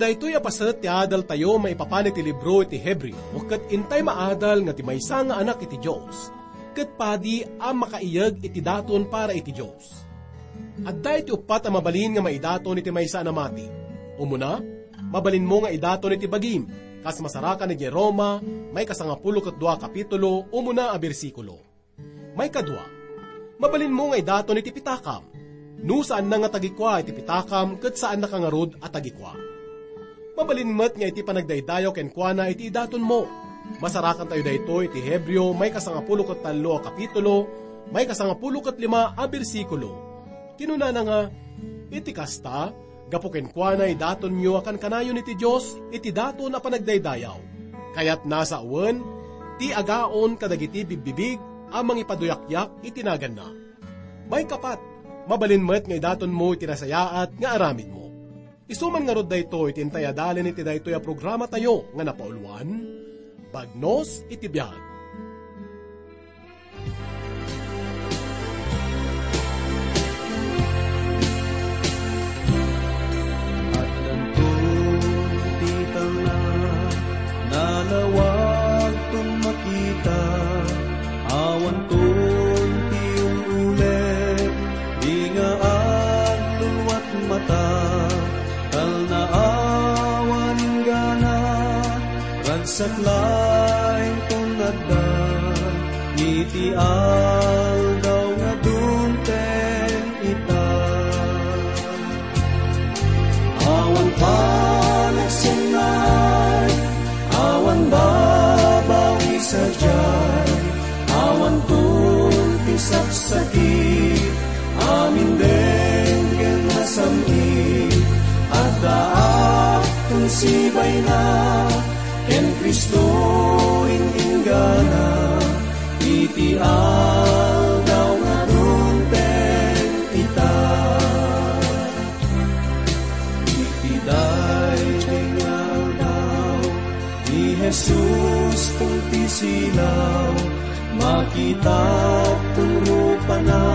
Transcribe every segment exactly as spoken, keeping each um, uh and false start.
Daytoy a paset ti adaltayo maipapan iti libro iti Hebreo, ket intay maadal nga ti maysa nga anak iti Dios, ket padi a makaiyeg iti daton para iti Dios. Adda iti uppat a mabalin nga maidaton iti maysa a namati. Umuna, mabalinmo nga idaton iti bagim, kas masarakan idiay Roma, may kasangapulo ket dua a kapitulo, umuna a bersikulo. Maikadua, mabalinmo nga idaton iti pitakam. No saanna nga tagikua iti pitakam, ket saannaka ngarud a tagikua. Mabalin met nga iti panagdaydayaw kenkuana iti idatonmo. Masarakantayo daytoy iti Hebreo, may kasangapulo ket tallo a kapitulo, may kasangapulo ket lima a bersikulo. Kinunana nga, iti kasta, gapu kenkuana idatonyo a kankanayon iti Dios iti daton a panagdaydayaw. Kayatna sawen, ti agaon kadagiti bigbibig a mangipaduyakyak iti naganna. Maikapat, mabalin met nga idatonmo iti nasayaat nga aramidmo. Isu man ngarud daytoy ti intay adalen iti daytoy a programatayo nga napauluan, Bagnos iti Biag. Addanton ti talna, nalawagton makita, awanton ti ul-uleg, di nga agluluat mata, talna awan inggana, ragsak laeng ton adda, iti aldaw nga dumteng ita. Awan panagsennaay, awan babawi sadiay, awan tulpi saksakit, amin denggen nasam-it, addaak ton sibayna, ken Cristo in-inggana, iti aldaw nga dumteng ita. Iti daytoy nga aldaw, ni Jesus ton ti silaw, makitaak ton rupana,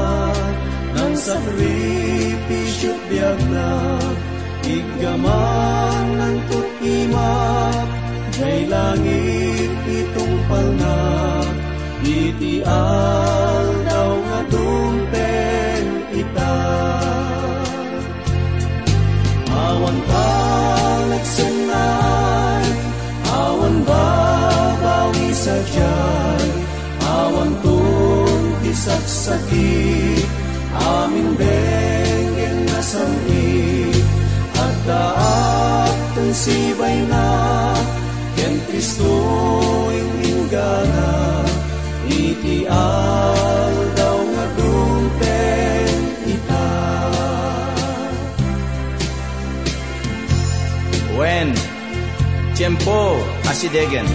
nangsakripisio ti biagna, iggamanna ton imak, jay langit itungpalna, iti aldaw nga dumteng ita. Awan panagsennaay, awan babawi sadiay, awan tulpi saksakit, amin denggen nasam-it, addaak ton sibayna, ken Cristo in-inggana, iti aldaw nga dumteng ita. Wen, tiempo a sidegen.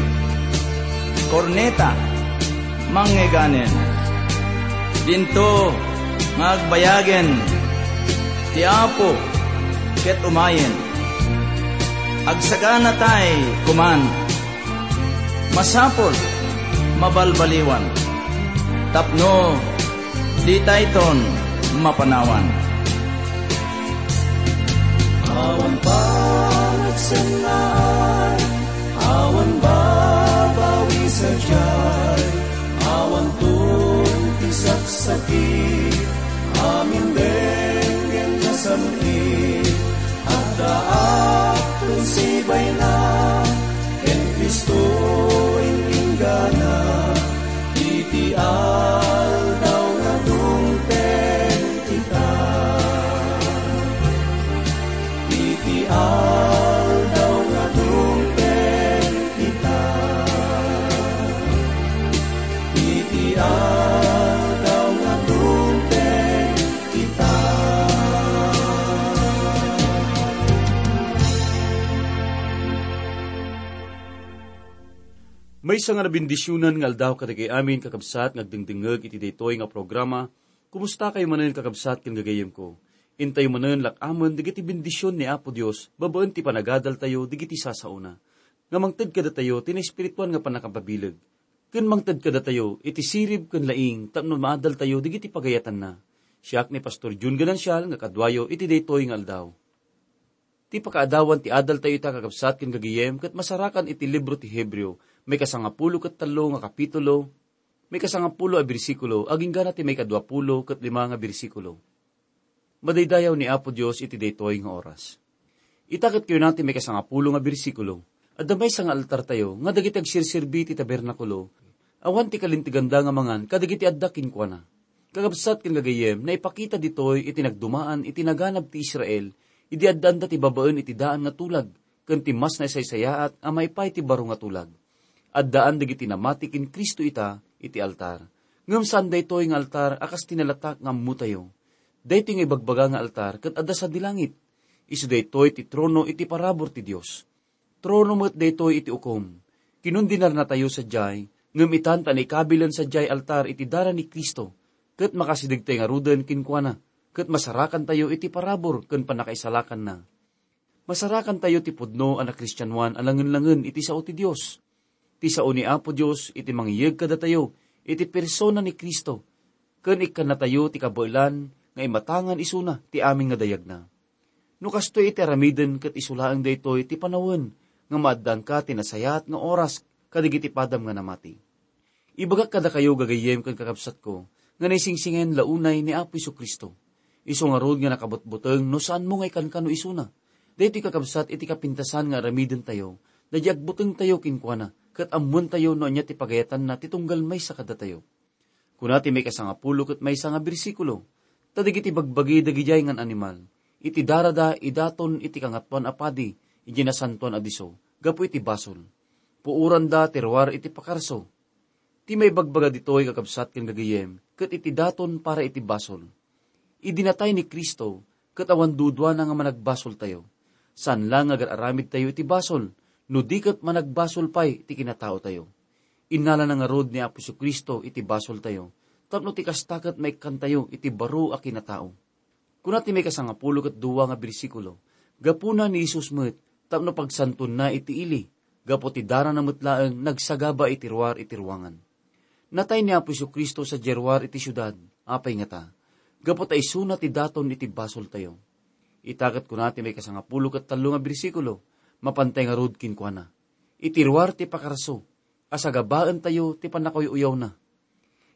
Korneta, mangngegganen. Dinto nga agbayagen ti Apo ket umayen. Agsaganatay koman. Masapul, mabalbaliwan, tapno ditayton mapanawan. Awan panagsennaay, awan babawi sadiay, awan tulpi saksakit, amin denggen nasam-it, addaak ton sibayna, ken Cristo in-inggana, iti aldaw nga dumteng ita. Iti aldaw nga dumteng ita. Iti aldaw nga dumteng ita. Maysa nga nabendisionan nga aldaw kadagiti amin, kakabsat, nga agdengdengngeg iti daytoy nga programa. Kumustakayo manen, kakabsat ken gagayyemko? Intayo manen lak-amen dagiti bendision ni Apo Dios babaen ti panagadaltayo dagiti sasaona, nga mangted kadatayo ti naespirituan nga pannakapabileg, ken mangted kadatayo iti sirib ken laing tapno maadaltayo dagiti pagayatanna. Siak ni Pastor Jun Ganancial nga kaduayo iti daytoy nga aldaw. Ti pakaadawan ti adaltayo ita, kakabsat ken gagayem, ket masarakan iti libro ti Hebreo, maikasangapulo ket tallo nga kapitulo, maikasangapulo a bersikulo, agingga na ti maikaduapulo ket lima nga bersikulo. Madaydayaw ni Apo Dios iti daytoy nga oras. Ita ket kayuna ti maikasangapulo nga bersikulo, adda maysa nga altartayo nga dagiti agserserbi iti tabernakulo, awan ti kalinteganda nga mangan kadagiti adda kenkuana. Kakabsat ken gagayem, naipakita ditoy iti nagdumaan iti naganab ti Israel, idi addaanda ti babaen iti daan nga tulag, ken ti mas naisaysayaat a maipaay ti baro nga tulag. Addaan dagiti namati ken Cristo ita iti altar. Ngem saan daytoy nga altar a kas ti nalatak nga ammotayo. Daytoy nga ibagbaga nga altar ket adda sadi langit. Isu daytoy ti trono iti parabur ti Dios. Trono met daytoy iti ukom. Kinundinarnatayo sadiay, ngem itan ta naikabilen sadiay altar iti dara ni Cristo, ket makasidegtay ngaruden kenkuana, ket masarakantayo iti parabur ken pannakaisalakanna. Masarakantayo ti pudno a nakristianoan a langen-langen iti sao ti Dios. Ti sao ni Apo Dios iti mangiyeg kadatayo iti persona ni Cristo, ken ikkannatayo ti kabaelan nga imatangan isuna ti amin nga dayagna. No kastoy iti aramiden ket isu laeng daytoy ti panawen nga maaddangka ti nasayaat nga oras kadagiti padam nga namati. Ibagak kadakayo, gagayyem ken kakabsatko, nga naisingsingen la unay ni Apo Jesu-Cristo. Isu ngarud nga nakabutbuteng no saanmo nga ikankano isuna. Daytoy, kakabsat, iti kapintasan nga aramidentayo, daydi agbutengtayo kenkuana, ket ammoentayo no ania ti pagayatanna ti tunggal maysa kadatayo. Kuna ti maikasangapulo ket maysa nga bersikulo, "Ta dagiti bagbagi dagidiay ngan animal, iti darada idaton iti Kangatoan a Padi idiay Nasantoan a Disso gapu iti basol. Puoranda ti ruar iti pakarso." Ti maibagbaga ditoy, kakabsat ken gagayyem, ket iti daton para iti basol. Idi natay ni Cristo, ket awan duduana nga managbasoltayo. Saan la nga agar-aramidtayo iti basol, no di ket managbasol pay ti kinataotayo. Innalana ngarud ni Apo Jesu-Cristo iti basoltayo, tapno ti kasta ket maikkantayo iti baro a kinatao. Kuna ti maikasangapulo ket dua nga bersikulo, "Gapuna ni Jesus met tapno pagsantoenna iti ili, gapu ti darana met laeng nagsagaba iti ruar iti ruangan." Natay ni Apo Jesu-Cristo sadiay ruar iti siudad. Apay ngata? Gapu ta isuna ti daton iti basoltayo. Ita ket kuna ti maikasangapulo ket tallo nga bersikulo, "Mapantay ngarud kenkuana iti ruar ti pakarso, a sagabaentayo ti pannakakuy-uyawna."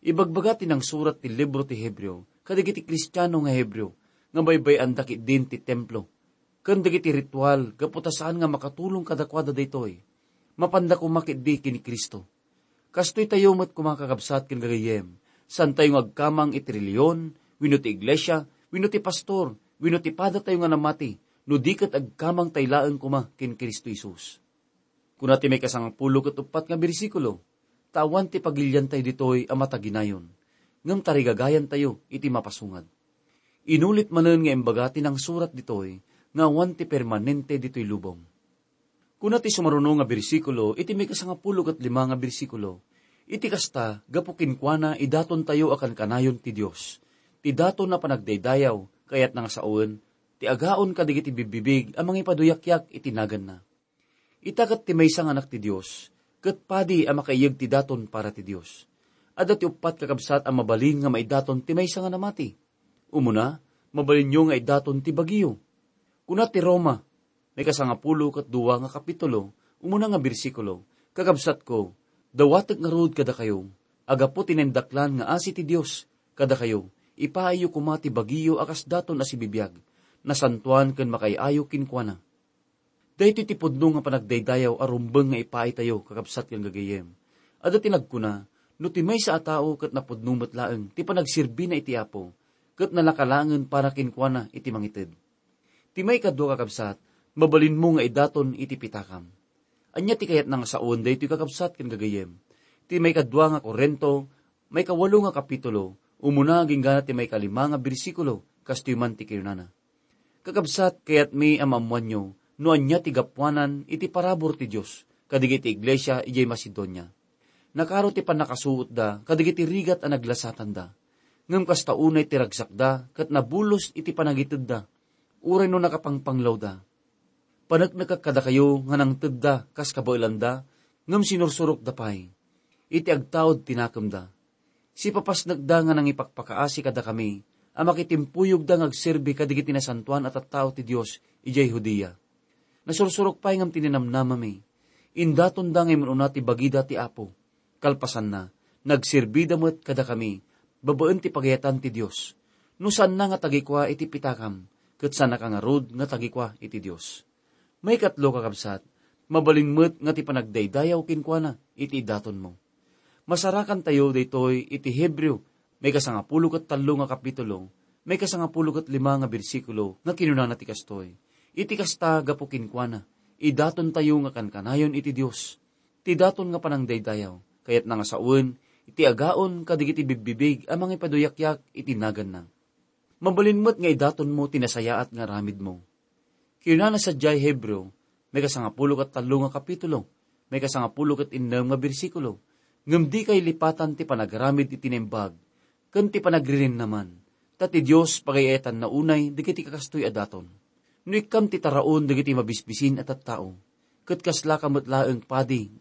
Ibagbaga ti nangsurat ti libro ti Hebreo kadagiti Kristiano nga Hebreo nga baybay-anda ketdin ti templo ken dagiti ritual gapu ta saan nga makatulong kadakuada daytoy. Mapanda koma ketdi ken ni Cristo. Kastoy tayo met koma, kakabsat ken gagayyem, saantayo nga agkamang iti relihiyon, wenno ti iglesia, wenno ti pastor, wenno ti padatayo nga namati, no di ket agkamangtayo laeng koma ken Cristo Jesus. Kuna ti maikasangapulo ket uppat nga bersikulo, "Ta awan ti pagiliantayo ditoy a mataginayon, ngem tarigagayantayo iti mapasungad." Inulit manen nga imbaga ti nangsurat ditoy nga awan ti permanente ditoy lubong. Kuna ti sumaruno nga bersikulo iti maikasangapulo ket lima nga bersikulo, "Iti kasta, gapu kenkuana, idatontayo a kankanayon ti Dios. Ti daton a panagdaydayaw, kayatna nga sawen, ti agaon kadagiti bibbibig a mangipaduyakyak iti naganna." Ita ket ti maysa nga anak ti Dios, ket padi a makaiyeg ti daton para ti Dios. Adda ti uppat, kakabsat, a mabalin nga maidaton ti maysa nga namati. Umuna, mabalinyo nga idaton ti bagiyo. Kuna ti Roma, maikasangapulo ket dua nga kapitulo, umuna nga bersikulo, "Kakabsatko, dawatek ngarud kadakayo, a gapu ti naindaklan nga asi ti Dios kadakayo, ipaayyo koma ti bagiyo a kas daton a sibibiag, nasantoan ken makaay-ayo kenkuana." Daytoy ti pudno nga panagdaydayaw a rumbeng nga ipaaytayo, kakabsat ken gagayyem. Adda ti nagkuna, no ti maysa a tao ket napudno met laeng ti panagserbina iti Apo, ket nalaka laengen para kenkuana iti mangited. Ti maikadua, kakabsat, mabalinmo nga idaton iti pitakam. Ania ti kayatna nga sawen daytoy, kakabsat ken gagayyem? Ti maikadua nga Corinto, maikawalo nga kapitulo, umuna agingga ti maikalima nga bersikulo, kastoy man ti kinunana. Kakabsat, kayatmi a maammoanyo no ania ti gapuanan iti parabur ti Dios kadagiti iglesia idiay Macedonia. Nakaro ti pannakasuotda kadagiti rigat a naglasatanda. Ngem kasta unay ti ragsakda ket nabulos iti panagitedda, uray no nakapangpanglawda. Paneknekak kadakayo nga nangtedda kas kabaelanda, ngem sinursurokda pay iti agtaud ti nakemda. Sipapasnekda nga nangipakpakaasi kadakami a makitimpuyogda nga agserbi kadagiti nasantoan a tattao ti Dios idiay Judea. Nasursurok pay ngem ti ninamnamami. Indatonda nga immun-una ti bagida ti Apo. Kalpasanna, nagserbida met kadakami babaen ti pagayatan ti Dios. No saanna nga tagikua iti pitakam, ket saannaka ngarud nga tagikua iti Dios. Maikatlo, kakabsat, mabalin met nga ti panagdaydayaw kenkuana iti idatonmo. Masarakantayo daytoy iti Hebreo, maikasangapulo ket tallo nga kapitulo, maikasangapulo ket lima nga bersikulo, nga kinunana ti kastoy, "Iti kasta, gapu kenkuana, idatontayo nga kankanayon iti Dios." Ti daton nga panangdaydayaw, kayatna nga sawen iti agaon kadagiti bigbibig a mangipaduyakyak iti naganna. Mabalin met nga idatonmo ti nasayaat nga aramidmo. Kinunana sadiay Hebreo, maikasangapulo ket tallo nga kapitulo, maikasangapulo ket innem nga bersikulo, ngem dika ilipatan ti panagaramid iti naimbag ken ti panagririnnaman, ta ti Dios pagayatanna unay dagiti kakastoy a daton. No ikkam ti taraon dagiti mabisbisin a tattao, ket kaslaka met laeng padi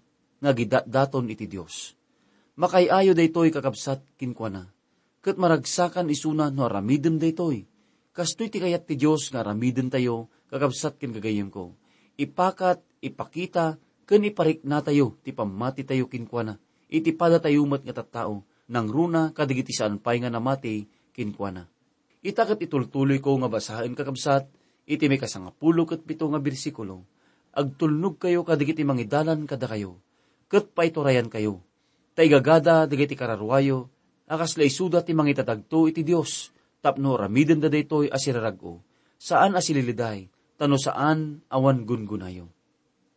nga agidatdaton iti Dios. Makaay-ayo daytoy, kakabsat, kenkuana, ket maragsakan isuna no aramidem daytoy. Kastoy ti kayat ti Dios nga aramidentayo, kakabsat ken gagayyemko. Ipakat, ipakita, ken ipariknatayo ti pammatitayo kenkuana, iti padatayo met nga tattao, nangruna kadagiti saan pay nga namati kenkuana. Ita ket itultuloyko nga basaen, kakabsat, iti maikasangapulo ket pito nga bersikulo, "Agtulnogkayo kadagiti mangidalan kadakayo, ket paiturayankayo. Ta igagada dagiti kararuayo a kasla isuda ti mangitatagto iti Dios, tapno aramidenda daytoy a sirarag-o, saan a sililiday, ta no saan, awan gungunayo."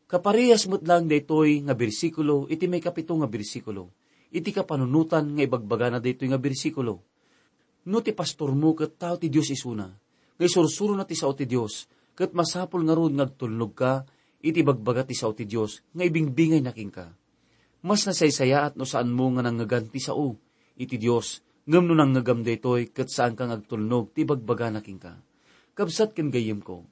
Kaparehas met laeng daytoy nga bersikulo iti maikapito nga bersikulo, iti kapanunotan nga ibagbagana daytoy nga bersikulo. No ti pastormo ket tao ti Dios isuna, nga isursurona ti sao ti Dios, ket masapul ngarud nga agtulnogka iti ibagbaga ti sao ti Dios nga ibingbingayna kenka. Mas nasaysayaat no saanmo nga nangngegan ti sao iti Dios, ngem no nangngegan daytoy ket saanka nga agtulnog ti ibagbagana kenka. Kabsat ken gayyemko,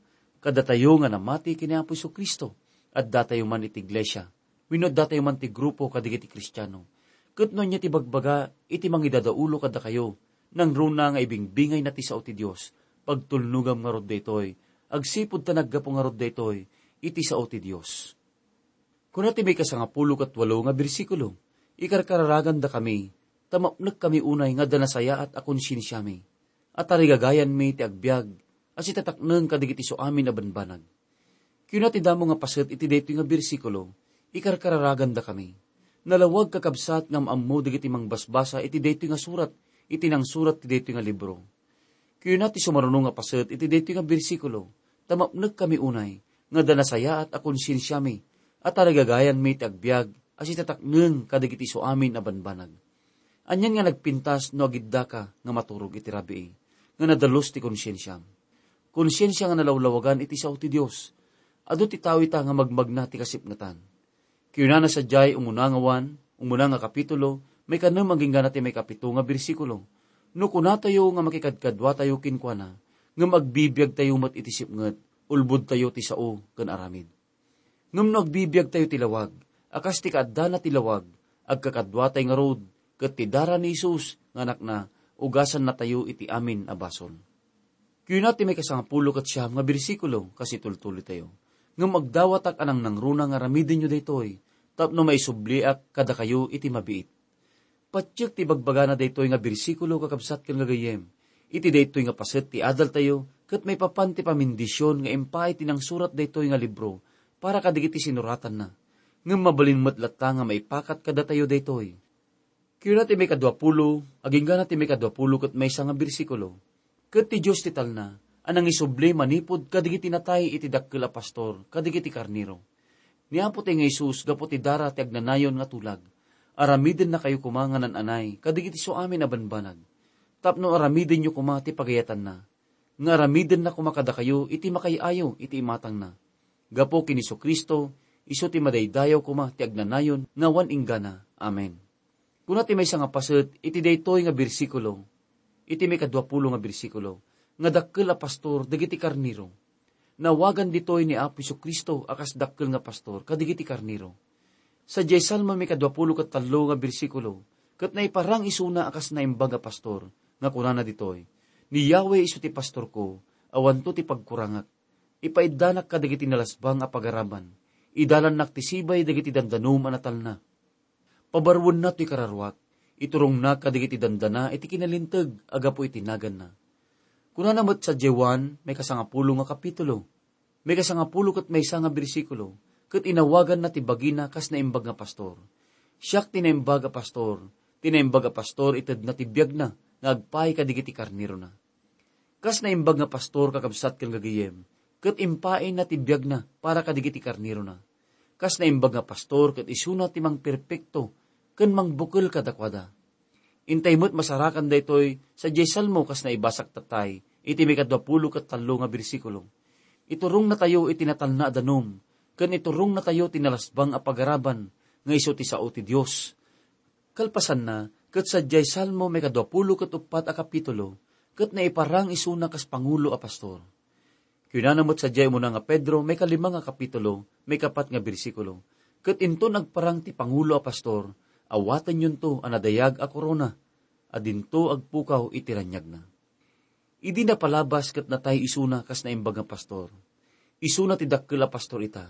kadatayo nga namati ken ni Apo Jesu-Cristo, addatayo man iti iglesia, wenno addatayo man ti grupo kadagiti Kristiano. Ket no ania ti ibagbaga iti mangidadaulo kadakayo, nangruna nga ibingbingayna ti sao ti Dios, pagtulnogam ngarud daytoy, agsipud ta naggapu ngarud daytoy iti sao ti Dios. Kuna ti maikasangapulo ket walo nga bersikulo, "Ikarkararagandakami, ta mapnekkami unay nga adda nasayaat a konsiensiami, a tarigagayanmi ti agbiag a sitatakneng kadagiti suamin a banbanag." Kuna ti damo nga paset iti daytoy nga bersikulo, "Ikarkararagandakami." Nalawag, kakabsat, nga am-ammo dagiti mangbasbasa iti daytoy nga surat iti nangsurat ti daytoy nga libro. Kuna ti sumaruno nga paset iti daytoy nga bersikulo, "Ta mapnekkami unay nga adda nasayaat a konsiensiami, a tarigagayanmi ti agbiag a sitatakneng kadagiti suamin a banbanag." Anian nga nagpintas no agiddaka nga maturog iti rabii nga nadalus ti konsiensiam? Konsiensia nga nalawlawagan iti sao ti Dios. Adu ti tao ita nga magmagna ti kasipngetan. Kinunana sadiay, umuna nga Juan, umuna nga kapitulo, maikanem agingga na ti maikapito nga bersikulo. No kunatayo nga makikadkaduatayo kenkuana, ngem agbibiagtayo met iti sipnget, ulbodtayo ti sao ken aramid. Ngem no agbibiagtayo ti lawag, a kas ti kaaddana ti lawag, agkakaduatay ngarud, ket ti dara ni Jesus nga Anakna, ugasannatayo iti amin a basol. Kuna ti maikasangapulo ket siam nga bersikulo, kas itultuloytayo, "Ngem agdawatak a nangnangruna nga aramidenyo daytoy, tapno maisubliak kadakayo iti mabiit." Patiek ti ibagbagana daytoy nga bersikulo, kakabsat ken gagayyem. Iti daytoy nga paset ti adaltayo, ket maipapan ti pamindision nga impaay ti nangsurat daytoy nga libro para kadagiti sinuratanna. Ngem mabalin met latta nga maipakat kadatayo daytoy. Kuna ti maikaduapulo, agingga na ti maikaduapulo ket maysa nga bersikulo, "Ket ti Dios ti talna a nangisubli manipud kadagiti natay iti dakkel a pastor kadagiti karnero." Ni Apo ti nga Jesus gapu ti dara ti agnanayon nga tulag, aramidennakayo koma nga nan-anay kadagiti suamin a banbanag, tapno aramidenyo koma ti pagayatanna, nga aramidenna koma kadakayo iti makaay-ayo iti imatangna. Gapu ken Jesu-Cristo, isu ti madaydayaw koma ti agnanayon nga awan inggana. Amen. Kuna ti maysa nga paset iti daytoy nga bersikulo, iti maikaduapulo nga bersikulo, nga dakkel a pastor dagiti karnero. Naawagan ditoy ni Apo Jesu-Cristo a kas dakkel nga pastor kadagiti karnero. Sadiay Salmo maikaduapulo ket tallo nga bersikulo, ket naiparang isuna a kas naimbag a pastor, nga kunana ditoy, "Ni Yahweh isu ti pastorko, awanto ti pagkurangak." Ipaiddanak kadagiti nalasbang a pagaraman. Idalannak ti sibay dagiti dandanum a natalna. Pabaruenna toy kararuak. Iturongna kadagiti dandana iti kinalinteg a gapu iti naganna. Kunana met sadiay Juan, maikasangapulo nga kapitulo, maikasangapulo ket maysa nga bersikulo, ket inawaganna ti bagina kas naimbag nga pastor. Siak ti naimbag a pastor. Ti naimbag a pastor itedna ti biagna nga agpaay kadagiti karnerona. Kas naimbag nga pastor, kakabsat ken gagayem, ket impaayna ti biagna para kadagiti karnerona. Kas naimbag nga pastor, ket isuna ti mangperpekto ken mangbukel kadakuada. Intay met masarakan daytoy sadiay Salmo kas naibasak tattay iti maikadua pulo ket tallo nga bersikulo. Iturongnatayo iti natalna a danum, ken iturongnatayo ti nalasbang a pagaraban nga isu ti sao ti Dios. Kalpasanna, ket sadiay Salmo maikadua pulo ket uppat a kapitulo, ket naiparang isuna kas pangulo a pastor. Kunana met sadiay umuna nga Pedro, maikalima nga kapitulo, maikapat nga bersikulo, ket inton agparang ti pangulo a pastor, awatenyonto a nadayag a korona, a dinto agpukaw iti raniagna. Idi napalabas ket natay isuna kas naimbag nga pastor. Isuna ti dakkel a pastor ita.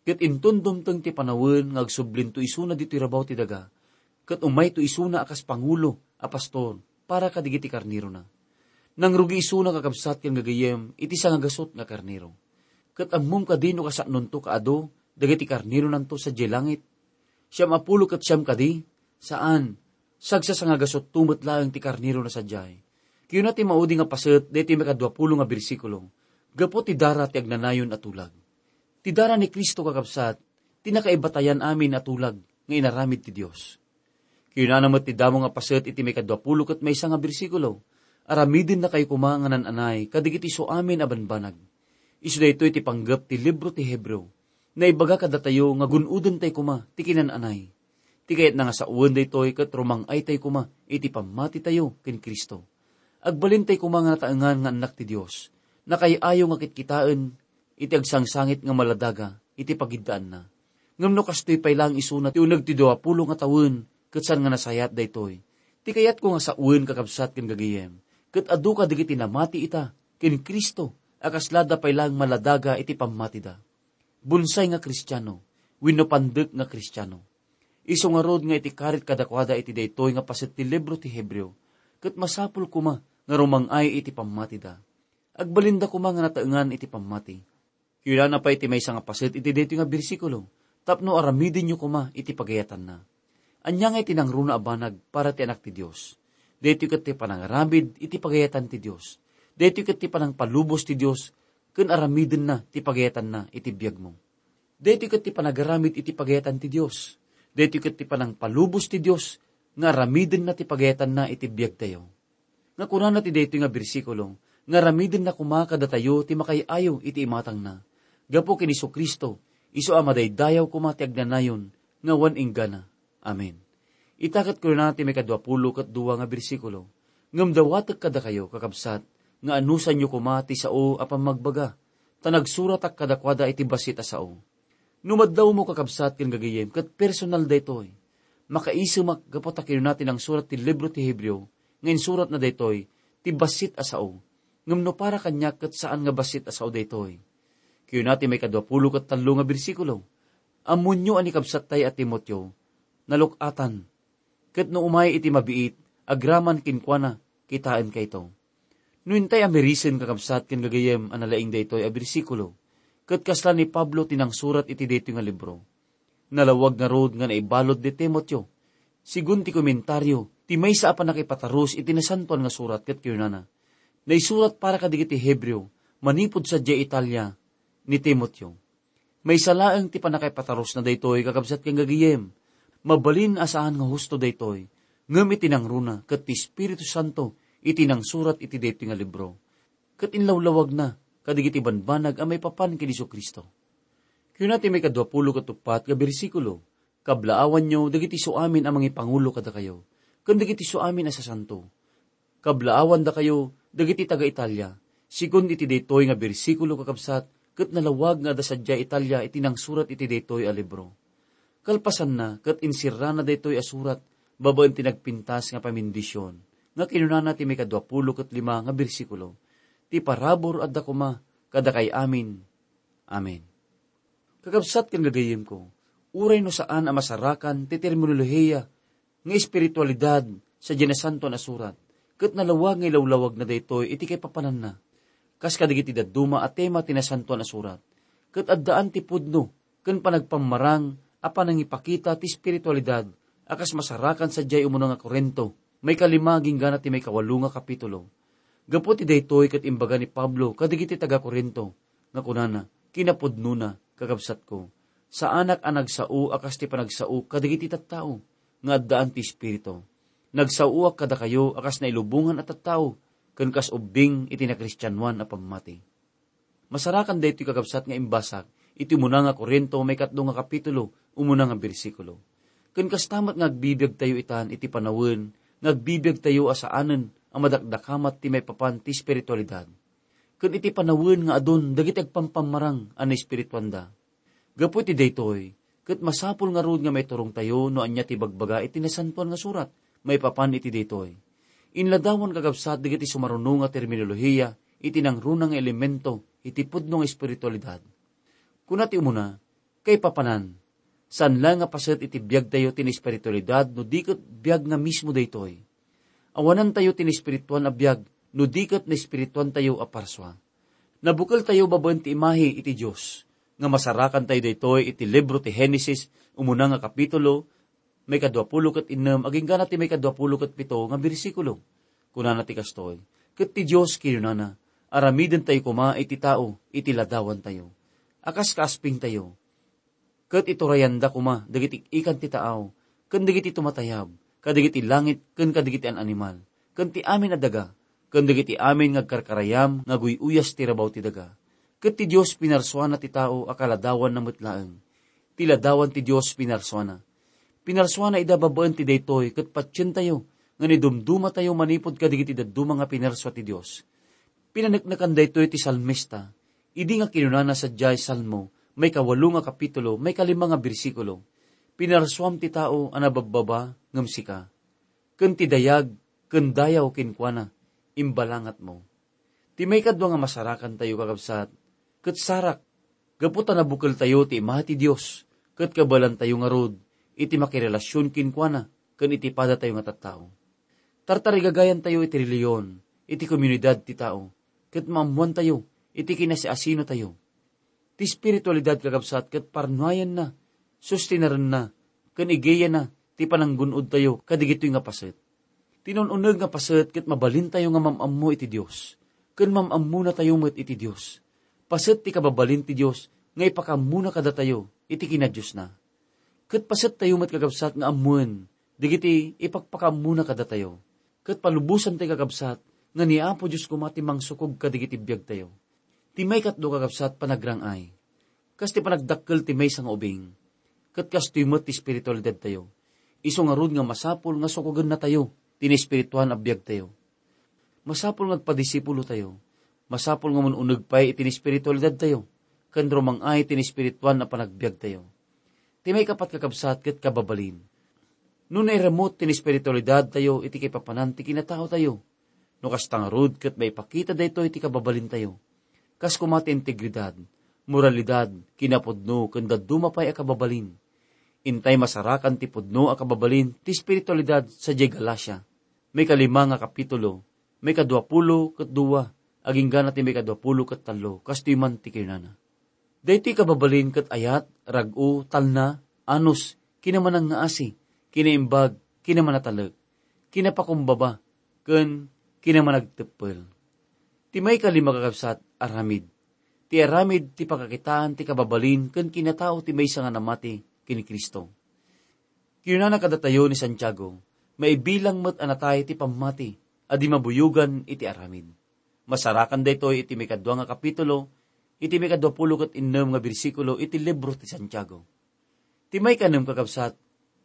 Ket inton dumteng ti panawen nga agsublinto isuna ditoy rabaw ti daga, ket umayto isuna a kas pangulo a pastor para kadagiti karnerona. Nangrugi isuna, kakabsat ken gagayem, iti sangagasut nga karnero. Ket ammom kadi no kasaknonto kaadu dagiti karneronanto sadiay langit? Siam a pulo ket siam kadi? Saan. Sagsasangagasutto met laeng ti karnerona sadiay. Kuna ti maudi nga paset daytoy maikadua pulo nga bersikulo, gapu ti dara ti agnanayon a tulag. Ti dara ni Cristo, kakabsat, ti nakaibatayan amin a tulag nga inaramid ti Dios. Kunana met ti damo nga paset iti maikadua pulo ket maysa nga bersikulo, aramidennakayo koma nga naan-anay kadagiti isuamin a banbanag. Isu daytoy ti panggep ti libro ti Hebreo. Naibaga kadatayo nga gun-odentay koma ti kinan-anay. Ti kayatna nga sawen daytoy ket rumang-aytay koma iti pammatitayo ken Cristo. Agbalintay koma nga nataengan nga annak ti Dios. Nakaay-ayo nga kitkitaen iti agsangsangit nga maladaga iti pagiddaanna. Ngem no kastoy pay laeng isuna ti uneg ti dua pulo nga tawen ket saan nga nasayaat daytoy, ti kayatko nga sawen, kakabsat ken gagayem, ket adu kadagiti namati ita ken Cristo a kaslada pay laeng maladaga iti pammatida. Bonsai nga Kristiano wenno pandek nga Kristiano. Isu ngarud nga iti karit kadakuada iti daytoy nga paset ti libro ti Hebreo, ket masapul koma nga rumang-ay iti pammatida. Agbalinda koma nga nataengan iti pammati. Kunana pay ti maysa nga paset iti daytoy nga bersikulo, tapno aramidenyo koma iti pagayatanna. Ania nga iti nangruna a banag para ti anak ti Dios? Daytoy ket ti panangaramid iti pagayatan ti Dios. Daytoy ket ti panangpalubos ti Dios ken aramidenna ti pagayatanna iti biagmo. Daytoy ket ti panagaramid iti pagayatan ti Dios. Daytoy ket ti panangpalubos ti Dios nga aramidenna ti pagayatanna iti biagtayo. Nga kunana ti daytoy nga bersikulo, nga aramidenna koma kadatayo ti makaay-ayo iti imatangna. Gapu ken Jesu-Cristo, isu a madaydayaw koma ti agnanayon nga awan inggana. Amen. Ita ket kunana ti maikadua pulo ket dua nga bersikulo, ngem dawatek kadakayo, kakabsat, nga anusanyo koma ti sao a pammagbaga, ta nagsuratak kadakuada iti bassit a sao. No madlawmo, kakabsat ken gagayem, ket personal daytoy. Makaisemak gapu ta kinuna ti nangsurat ti libro ti Hebreo nga insuratna daytoy ti bassit a sao. Ngem no para kaniak, ket saan nga bassit a sao daytoy. Kinuna ti maikadua pulo ket tallo nga bersikulo, "Ammonyo a ni kabsattay a Timoteo, naluk-atan. Ket no umay iti mabiit, agraman kenkuana, kitaenkayto." No intay a mirisen, kakabsat ken gagayem, a nalaing daytoy a bersikulo, ket kasla ni Pablo ti nangsurat iti daytoy nga libro. Nalawag ngarud nga naibalud ni Timoteo, sigun ti komentario ti maysa a pannakaipatarus iti Nasantoan nga Surat ket kinunana, "Naisurat para kadagiti Hebreo manipud sadiay Italia ni Timoteo." Maysa laeng ti pannakaipatarusna daytoy, kakabsat ken gagayem. Mabalin a saan nga husto daytoy, ngem iti nangruna ket ti Espiritu Santo iti nangsurat iti daytoy nga libro. Ket inlawlawagna kadagiti banbanag a maipapan ken Jesu-Cristo. Kuna ti maikadua pulo ket uppat nga bersikulo, "Kablaawanyo dagiti suamin a mangipangulo kadakayo, ken dagiti suamin a sasanto." Kablaawandakayo dagiti taga-Italia. Sigun iti daytoy nga bersikulo, kakabsat, ket nalawag nga adda sadiay Italia iti nangsurat iti daytoy a libro. Kalpasanna, ket insirrana daytoy a surat babaen ti nagpintas nga pamendisyon, nga kinunana ti maikadua pulo ket lima nga bersikulo, "Ti parabur adda koma kadakay amin Amen. Kakabsat ken gagayyemko, uray no saan a masarakan ti terminolohiya nga espiritualidad sadiay Nasantoan a Surat, ket nalawag nga ilawlawagna daytoy iti kaipapananna, kas kadagiti dadduma a tema ti Nasantoan a Surat, ket addaan ti pudno ken panagpammarang a panangipakita ti espiritualidad a kas masarakan sadiay umuna nga Corinto, maikalima agingga ti maikawalo nga kapitulo. Gapu ti daytoy ket imbaga ni Pablo kadagiti taga-Corinto nga kunana, "Kinapudnona, kakabsatko, saanak a nagsao a kas ti panagsao kadagiti tattao nga addaan ti Espiritu. Nagsaoak kadakayo a kas nailubongan a tattao ken kas ubbing iti nakristianoan a pammati." Masarakan daytoy, kakabsat, nga imbasak iti umuna nga Corinto, maikatlo nga kapitulo, umuna nga bersikulo. Ken kasta met nga agbibiagtayo itan iti panawen nga agbibiagtayo a saanen a madakdakamat ti maipapan ti espiritualidad, ken iti panawen nga adun dagiti agpampammarang a naespirituanda. Gapu iti daytoy, ket masapul ngarud nga maiturongtayo no ania ti ibagbaga iti Nasantoan nga Surat maipapan iti daytoy. Inladawan, kakabsat, dagiti sumaruno nga terminolohiya iti nangruna nga elemento iti pudno nga espiritualidad. Kuna ti umuna, kaipapanan, saan la nga paset iti biagtayo ti naespiritualidad no di ket biag nga mismo daytoy. Awanantayo ti naespirituan a biag no di ket naespirituantayo a parsua. Nabukeltayo babaen ti imahe iti Dios, nga masarakantayo daytoy iti libro ti Genesis, umuna nga kapitulo, maikadua pulo ket innem, agingga ti maikadua pulo ket pito nga bersikulo. Kunana ti kastoy, "Ket ti Dios kinunana, aramidentayo koma iti tao iti ladawantayo, a kas kaaspingtayo." Ket iturayanda koma dagiti ikan ti taaw, ken dagiti tumatayab, kadagiti langit ken kadagiti an-animal, ken ti amin a daga, ken dagiti amin nga agkarkarayam nga aguy-uyas ti rabaw ti daga. Ket ti Dios pinarsuana ti tao a kaladawanna met laeng. Ti ladawan ti Dios pinarsuana. Pinarsuana ida babaen ti daytoy ket patientayo nga nidumdumatayo manipud kadagiti dadduma nga pinarsua ti Dios. Pinaneknekan daytoy ti salmista, idi nga kinunana sadiay Salmo, maikawalo nga kapitulo, maikalima nga bersikulo, "Pinarsuam ti tao a nababbaba ngem sika, ken ti dayag ken dayaw kenkuana, imbalangatmo." Ti maikadua nga masarakantayo, kakabsat, ket sarak, gapu ta nabukeltayo ti imahe ti Dios, ket kabaelantayo ngarud iti makirelasion kenkuana ken iti padatayo nga tattao. Tartarigagayantayo iti relihiyon, iti komunidad ti tao, ket maammoantayo iti kinasiasinotayo. Ti espiritualidad, kakabsat, ket parnuayenna, sustinarenna, ken igiyana ti pananggun-odtayo kadagitoy nga paset. Ti nun-uneg nga paset ket mabalintayo nga mam-ammo iti Dios, ken mam-ammonatayo met iti Dios. Paset ti kababalin ti Dios nga ipakaammona kadatayo iti kinadiosna. Ket pasettayo met, kakabsat, nga ammoen dagiti ipakpakaammona kadatayo, ket palubosantayo, kakabsat, nga ni Apo Dios koma ti mangsukog kadagiti biagtayo. Ti maikatlo, kakabsat, panagrang-ay. Kas ti panagdakkel ti maysa nga ubing, ket kastoy met ti espiritualidadtayo. Isu ngarud nga masapul nga sukogennatayo ti naespirituan a biagtayo. Masapul nga agpadisipulotayo. Masapul nga mun-uneg pay iti naespiritualidadtayo ken rumang-ay ti naespirituan a panagbiagtayo. Ti maikapat, kakabsat, ket kababalin. No nairamut ti naespiritualidadtayo iti kaipapanan ti kinataotayo, no kasta ngarud ket maipakita daytoy ti kababalintayo, kas koma ti integridad, moralidad, kinapudno, ken dadduma pay a kababalin. Intay masarakan ti pudno a kababalin ti espiritualidad sadiay Galacia, maikalima nga kapitulo, maikadua pulo ket dua, agingga ti maikadua pulo ket tallo, kastoy man ti kinunana, "Daytoy kababalin ket ayat, rag-o, talna, anus, kinamanangngaasi, kinaimbag, kinamanatalek, kinapakumbaba, ken kinamanagteppel." Ti maikalima, kakabsat, aramid. Ti aramid ti pakakitaan ti kababalin ken kinatao ti maysa nga namati ken ni Cristo. Kinunana kadatayo ni Santiago, maibilang met a natay ti pammati a di mabuyogan iti aramid. Masarakan daytoy iti maikadua nga kapitulo, iti maikadua pulo ket innem nga bersikulo iti libro ti Santiago. Ti maikanem, kakabsat,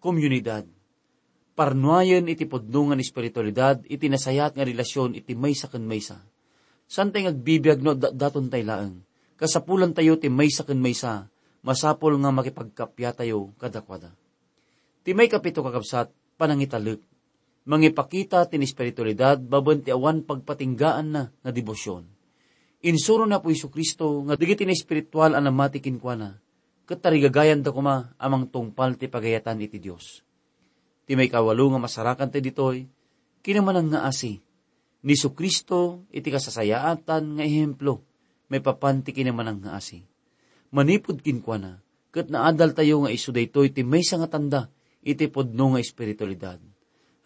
komunidad. Parnuayen iti pudno nga espiritualidad iti nasayaat nga relasyon iti maysa ken maysa. Saantay nga agbibiag no addatdatontay laeng. Kasapulantayo ti maysa ken maysa, masapul nga makipagkappatayo kadakuada. Ti maikapito, kakabsat, panangitalek. Mangipakita ti espiritualidad babaen ti awan pagpatinggaanna nga debosyon. Insuro ni Apo Jesu-Cristo nga dagiti naespiritual a namati kenkuana, ket tarigagayanda koma a mangtungpal ti pagayatan iti Dios. Ti maikawalo nga masarakanta ditoy, kinamanangngaasi. Ni Jesu-Cristo iti kasasayaatan nga ehemplo maipapan ti kinamanangngaasi. Manipud kenkuana, ket naadaltayo nga isu daytoy ti maysa nga tanda iti pudno nga espiritualidad.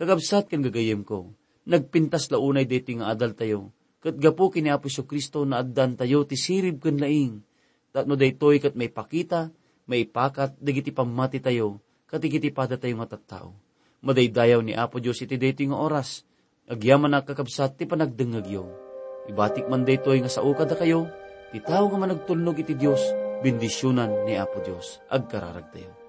Kakabsat ken gagayyemko, nagpintas la unay daytoy nga adaltayo, ket gapu ken ni Apo Jesu-Cristo, naaddantayo ti sirib ken laing, tapno daytoy ket maipakita, maipakat dagiti pammatitayo, ket dagiti padatayo nga tattao. Madaydayaw ni Apo Dios iti daytoy nga oras. Agyamanak, kakabsat, ti panagdengngegyo. Ibatik man daytoy nga sao kadakayo, ti tao nga managtulnog iti Dios, bendisionan ni Apo Dios. Agkararagtayo.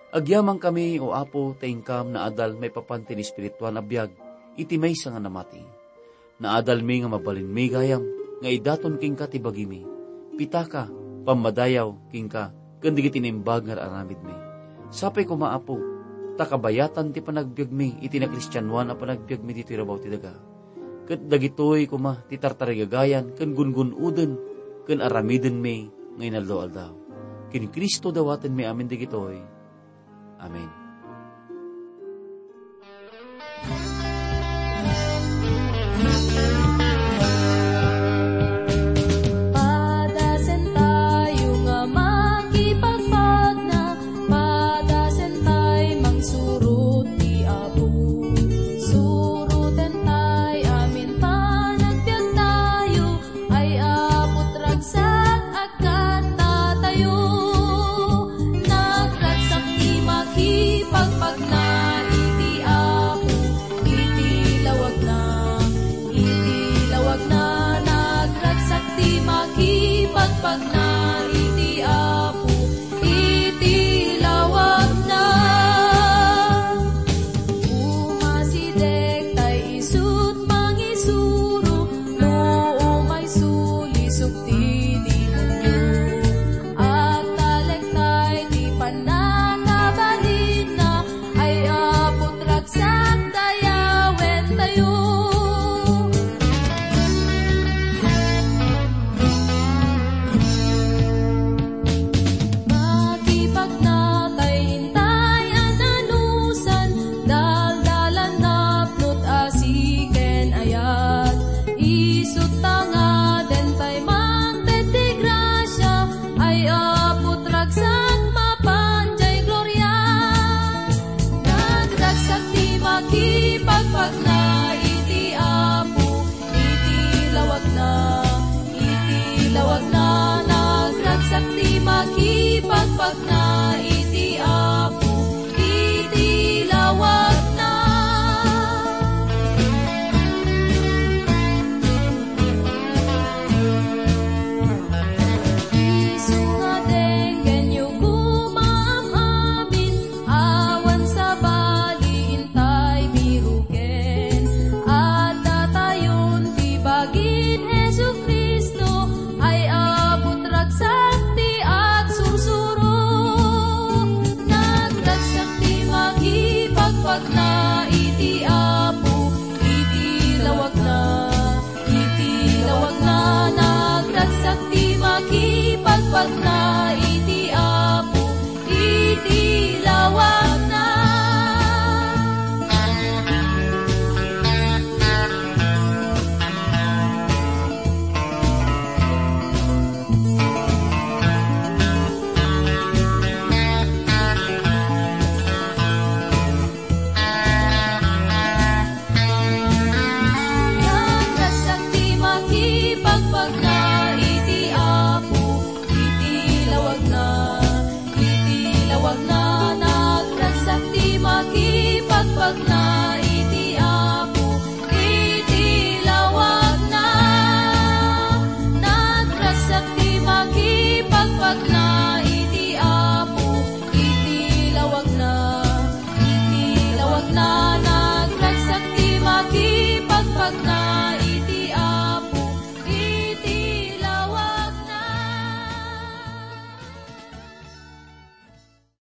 Agyamankami, O Apo, ta inkam naadal maipapan ti espirituan a biag iti maysa nga namati. Naadalmi nga mabalinmi gayam nga idaton kenka ti bagimi, pitaka, pammadayaw kenka ken dagiti naimbag nga aramidmi. Sapay koma, Apo, ta kabayatan ti panagbiagmi iti nakristianoan a panagbiagmi ditoy rabaw ti daga. Ket dagitoy koma ti tartarigagayan ken gungun-oden ken aramidenmi nga inaldaw-aldaw. Ken Cristo dawatenmi amin dagitoy. Amen. Padasentayo nga makipagpagna, padasentay mangsurot ti Apo. Surotentay amin panagbiagtayo, ay Apo, ragsak agkattatayo. Nagragsak ti makipagpagna iti Apo, iti lawagna, iti lawagna. Nagragsak ti makipagpagna iti Apo, iti lawagna. Umasideg tay isut' mangisuro, no umay sulisog ti demonio. Agtalek tay ti pannakabalinna, ay Apo, ragsak dayawentayo. Makipagna tay intay a nanusan, daldalan napnot asi ken ayat. Isut' ta ngaden tay mangted ti grasia, ay Apo, ragsak mapan jay gloria. Nagragsak ti makipagpagna iti Apo, iti lawagna, iti lawagna. Nagragsak ti makipagpagna iti Apo, iti lawagna. Isu nga denggenyo koma am-amin, awan sabali intay biroken. Addatayon ti bagin Jesu-Cristo, ay Apo, ragsak ti agsursuro. Nagragsak ti makipagpagna iti Apo, iti lawagna. Iti lawagna. Nagragsak ti makipagpagna iti Apo, iti lawagna. Nagragsak ti makipagpagna iti Apo, iti lawagna, iti lawagna. Nagragsak ti makipagpagna